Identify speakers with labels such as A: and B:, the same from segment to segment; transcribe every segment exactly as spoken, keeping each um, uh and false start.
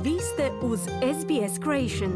A: Vi ste uz S B S Creation.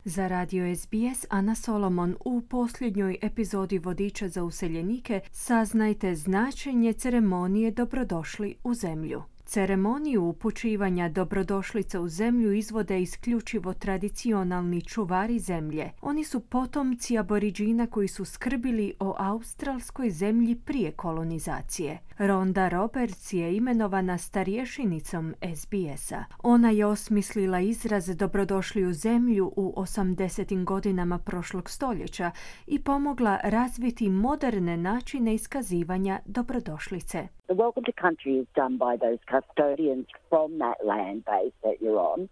B: Za radio S B S Ana Solomon. U posljednjoj epizodi Vodiča za useljenike saznajte značenje ceremonije Dobrodošli u zemlju. Ceremoniju upućivanja dobrodošlice u zemlju izvode isključivo tradicionalni čuvari zemlje. Oni su potomci aboriđina koji su skrbili o australskoj zemlji prije kolonizacije. Rhonda Roberts je imenovana starješinicom S B S-a. Ona je osmislila izraz Dobrodošli u zemlju u osamdesetim godinama prošlog stoljeća i pomogla razviti moderne načine iskazivanja dobrodošlice.
C: The welcome to country is done by those custodians from that land base that you're on,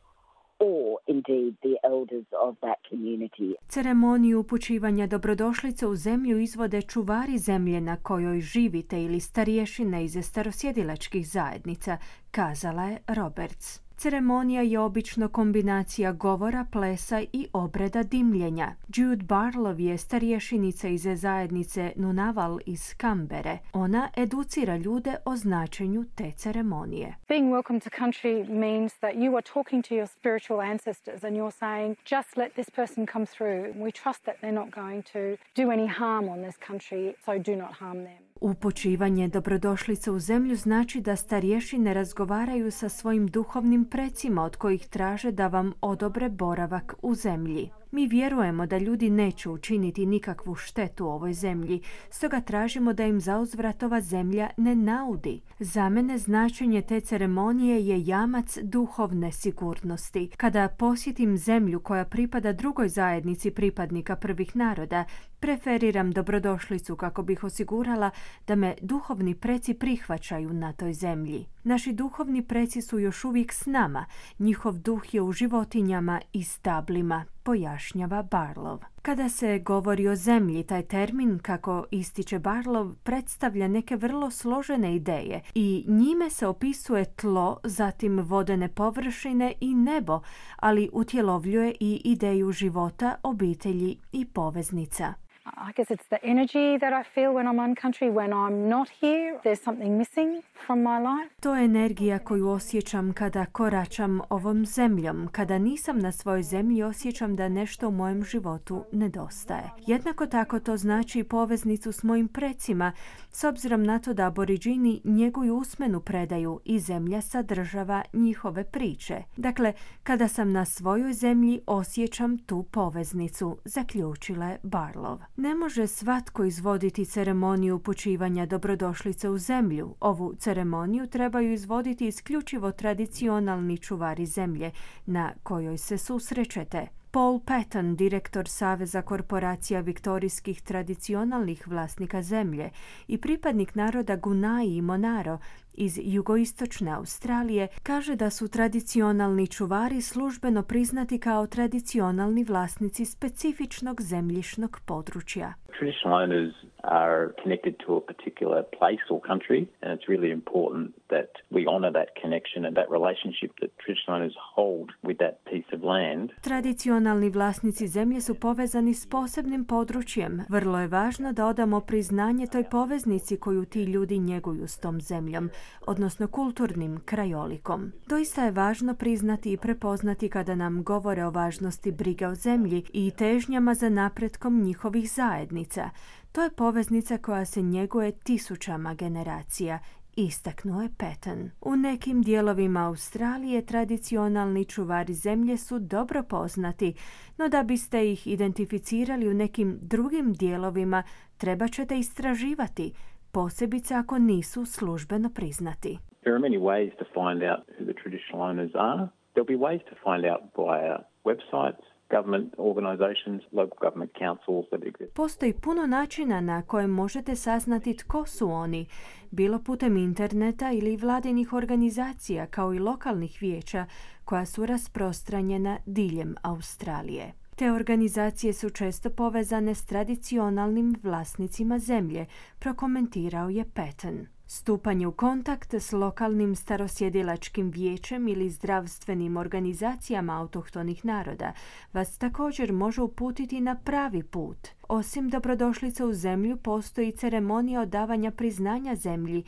C: or indeed the elders of that community.
B: Ceremoniju upućivanja dobrodošlice u zemlju izvode čuvari zemlje na kojoj živite ili starješine iz starosjedilačkih zajednica, kazala je Roberts. Ceremonija je obično kombinacija govora, plesa i obreda dimljenja. Jude Barlow je starješenica iz zajednice Nunaval iz Kambere. Ona educira ljude o značenju te ceremonije.
D: Being welcome to country means that you are talking to your spiritual ancestors and you're saying, just let this person come through. We trust that they're not going to do any harm on this country, so do not harm them.
B: Upućivanje dobrodošlice u zemlju znači da starješine razgovaraju sa svojim duhovnim precima od kojih traže da vam odobre boravak u zemlji. Mi vjerujemo da ljudi neće učiniti nikakvu štetu ovoj zemlji, stoga tražimo da im zauzvrat ova zemlja ne naudi. Za mene značenje te ceremonije je jamac duhovne sigurnosti. Kada posjetim zemlju koja pripada drugoj zajednici pripadnika prvih naroda, preferiram dobrodošlicu kako bih osigurala da me duhovni preci prihvaćaju na toj zemlji. Naši duhovni preci su još uvijek s nama. Njihov duh je u životinjama i stablima, pojašnjava Barlow. Kada se govori o zemlji, taj termin, kako ističe Barlow, predstavlja neke vrlo složene ideje i njime se opisuje tlo, zatim vodene površine i nebo, ali utjelovljuje i ideju života, obitelji i poveznica.
D: I guess it's the energy that I feel when I'm on country. When I'm not here, there's something missing from my life.
B: To je energija koju osjećam kada koračam ovom zemljom. Kada nisam na svojoj zemlji, osjećam da nešto u mojem životu nedostaje. Jednako tako to znači i poveznicu s mojim precima, s obzirom na to da aboriđini njeguju usmenu predaju i zemlja sadržava njihove priče. Dakle, kada sam na svojoj zemlji, osjećam tu poveznicu, zaključila je Barlow. Ne može svatko izvoditi ceremoniju upućivanja dobrodošlice u zemlju. Ovu ceremoniju trebaju izvoditi isključivo tradicionalni čuvari zemlje na kojoj se susrećete. Paul Patton, direktor Saveza korporacija viktorijskih tradicionalnih vlasnika zemlje i pripadnik naroda Gunai i Monaro iz jugoistočne Australije, kaže da su tradicionalni čuvari službeno priznati kao tradicionalni vlasnici specifičnog zemljišnog područja.
E: Traditional owners are connected to a particular place or country, and it's really important that we honour that connection and that relationship that traditional owners hold with that piece of land.
B: Tradicionalni vlasnici zemlje su povezani s posebnim područjem. Vrlo je važno da odamo priznanje toj poveznici koju ti ljudi njeguju s tom zemljom, odnosno kulturnim krajolikom. Doista je važno priznati i prepoznati kada nam govore o važnosti brige o zemlji i težnjama za napretkom njihovih zajednica. To je poveznica koja se njeguje tisućama generacija, istaknuo je Patton. U nekim dijelovima Australije tradicionalni čuvari zemlje su dobro poznati, no da biste ih identificirali u nekim drugim dijelovima treba ćete istraživati, posebice ako nisu službeno priznati.
E: There are many ways to find out who the traditional owners are. There'll be ways to find out via websites, government organizations, local government councils that exist.
B: Postoji puno načina na kojem možete saznati tko su oni, bilo putem interneta ili vladinih organizacija kao i lokalnih vijeća koja su rasprostranjena diljem Australije. Te organizacije su često povezane s tradicionalnim vlasnicima zemlje, prokomentirao je Patton. Stupanje u kontakt s lokalnim starosjedilačkim vijećem ili zdravstvenim organizacijama autohtonih naroda vas također može uputiti na pravi put. Osim dobrodošlice u zemlju, postoji ceremonija odavanja priznanja zemlji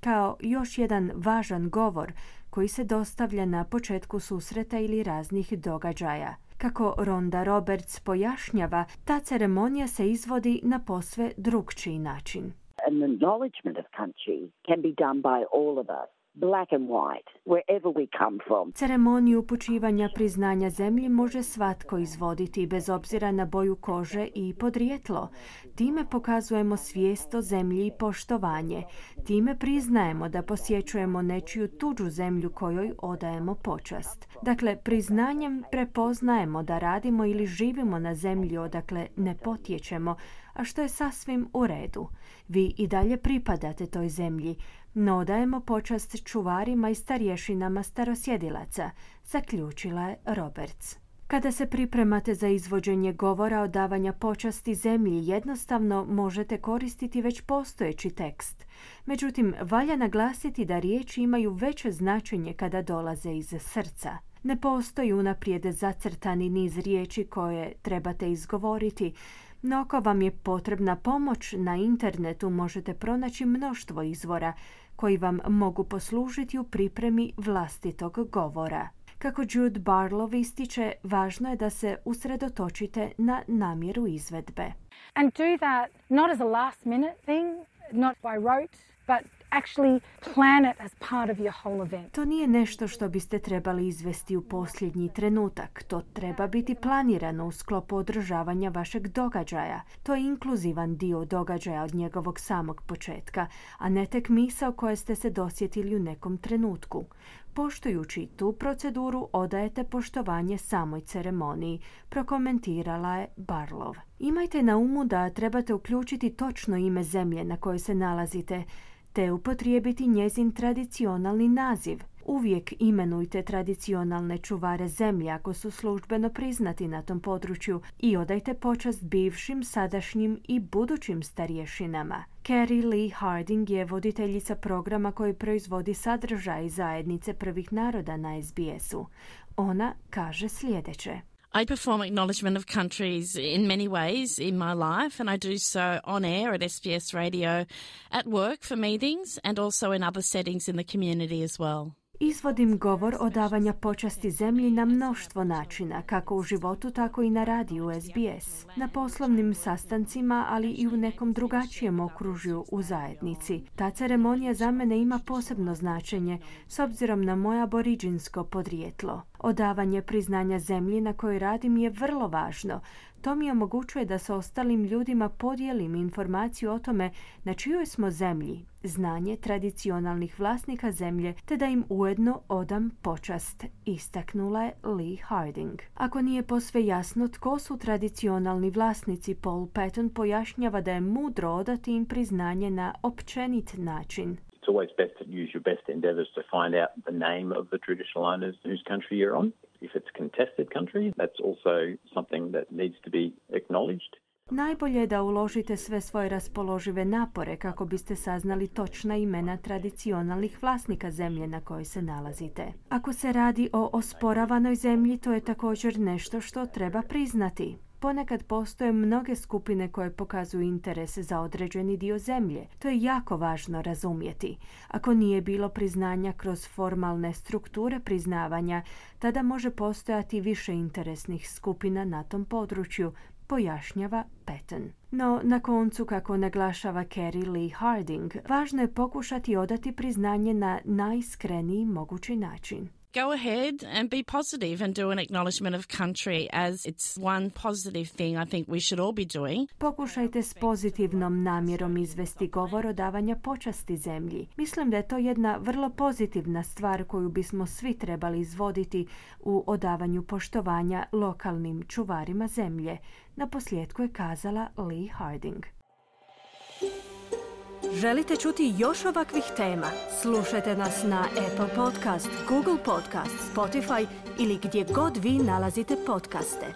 B: kao još jedan važan govor koji se dostavlja na početku susreta ili raznih događaja. Kako Rhonda Roberts pojašnjava, ta ceremonija se izvodi na posve drukčiji način.
C: An acknowledgement of country can be done by all of us, black and white, wherever we come from.
B: Ceremoniju upućivanja priznanja zemlji može svatko izvoditi bez obzira na boju kože i podrijetlo. Time pokazujemo svijest o zemlji i poštovanje. Time priznajemo da posjećujemo nečiju tuđu zemlju kojoj odajemo počast. Dakle, priznanjem prepoznajemo da radimo ili živimo na zemlji odakle ne potječemo, a što je sasvim u redu. Vi i dalje pripadate toj zemlji, no odajemo počast čuvarima i starješinama starosjedilaca, zaključila je Roberts. Kada se pripremate za izvođenje govora odavanja počasti zemlji, jednostavno možete koristiti već postojeći tekst. Međutim, valja naglasiti da riječi imaju veće značenje kada dolaze iz srca. Ne postoji unaprijed zacrtani niz riječi koje trebate izgovoriti, no ako vam je potrebna pomoć, na internetu možete pronaći mnoštvo izvora koji vam mogu poslužiti u pripremi vlastitog govora. Kako Jude Barlow ističe, važno je da se usredotočite na namjeru izvedbe.
D: And do that not as a last minute thing, not by rote, but actually plan it as part of your whole event.
B: To nije nešto što biste trebali izvesti u posljednji trenutak. To treba biti planirano u sklopu održavanja vašeg događaja. To je inkluzivan dio događaja od njegovog samog početka, a ne tek misao koje ste se dosjetili u nekom trenutku. Poštujući tu proceduru, odajete poštovanje samoj ceremoniji, prokomentirala je Barlow. Imajte na umu da trebate uključiti točno ime zemlje na kojoj se nalazite, te upotrijebiti njezin tradicionalni naziv. Uvijek imenujte tradicionalne čuvare zemlje ako su službeno priznati na tom području i odajte počast bivšim, sadašnjim i budućim starješinama. Carrie Lee Harding je voditeljica programa koji proizvodi sadržaj zajednice prvih naroda na S B S-u. Ona kaže sljedeće.
F: I perform acknowledgement of countries in many ways in my life, and I do so on air at S B S Radio, at work for meetings, and also in other settings in the community as well.
B: Izvodim govor odavanja počasti zemlji na mnoštvo načina, kako u životu, tako i na radiju S B S, na poslovnim sastancima, ali i u nekom drugačijem okružju u zajednici. Ta ceremonija za mene ima posebno značenje s obzirom na moje aboriđinsko podrijetlo. Odavanje priznanja zemlji na kojoj radim je vrlo važno. To mi omogućuje da sa ostalim ljudima podijelim informaciju o tome na čijoj smo zemlji, znanje tradicionalnih vlasnika zemlje, te da im ujedno odam počast, istaknula je Lee Harding. Ako nije posve jasno tko su tradicionalni vlasnici, Paul Patton pojašnjava da je mudro odati im priznanje na općenit način.
E: It's always best to use your best endeavours to find out the name of the traditional owners whose country you're on. If it's contested country, that's also something that needs to be acknowledged.
B: Najbolje je da uložite sve svoje raspoložive napore kako biste saznali točna imena tradicionalnih vlasnika zemlje na kojoj se nalazite. Ako se radi o osporavanoj zemlji, to je također nešto što treba priznati. Ponekad postoje mnoge skupine koje pokazuju interese za određeni dio zemlje. To je jako važno razumjeti. Ako nije bilo priznanja kroz formalne strukture priznavanja, tada može postojati više interesnih skupina na tom području, pojašnjava Patton. No, na koncu, kako naglašava Carrie Lee Harding, važno je pokušati odati priznanje na najiskreniji mogući način.
F: Go ahead and be positive and do an acknowledgement of country, as it's one positive thing I think we should all be doing.
B: Pokušajte s pozitivnom namjerom izvesti govor odavanja počasti zemlji. Mislim da je to jedna vrlo pozitivna stvar koju bismo svi trebali izvoditi u odavanju poštovanja lokalnim čuvarima zemlje. Na posljedku je kazala Lee Harding.
A: Želite čuti još ovakvih tema? Slušajte nas na Apple Podcast, Google Podcast, Spotify ili gdje god vi nalazite podcaste.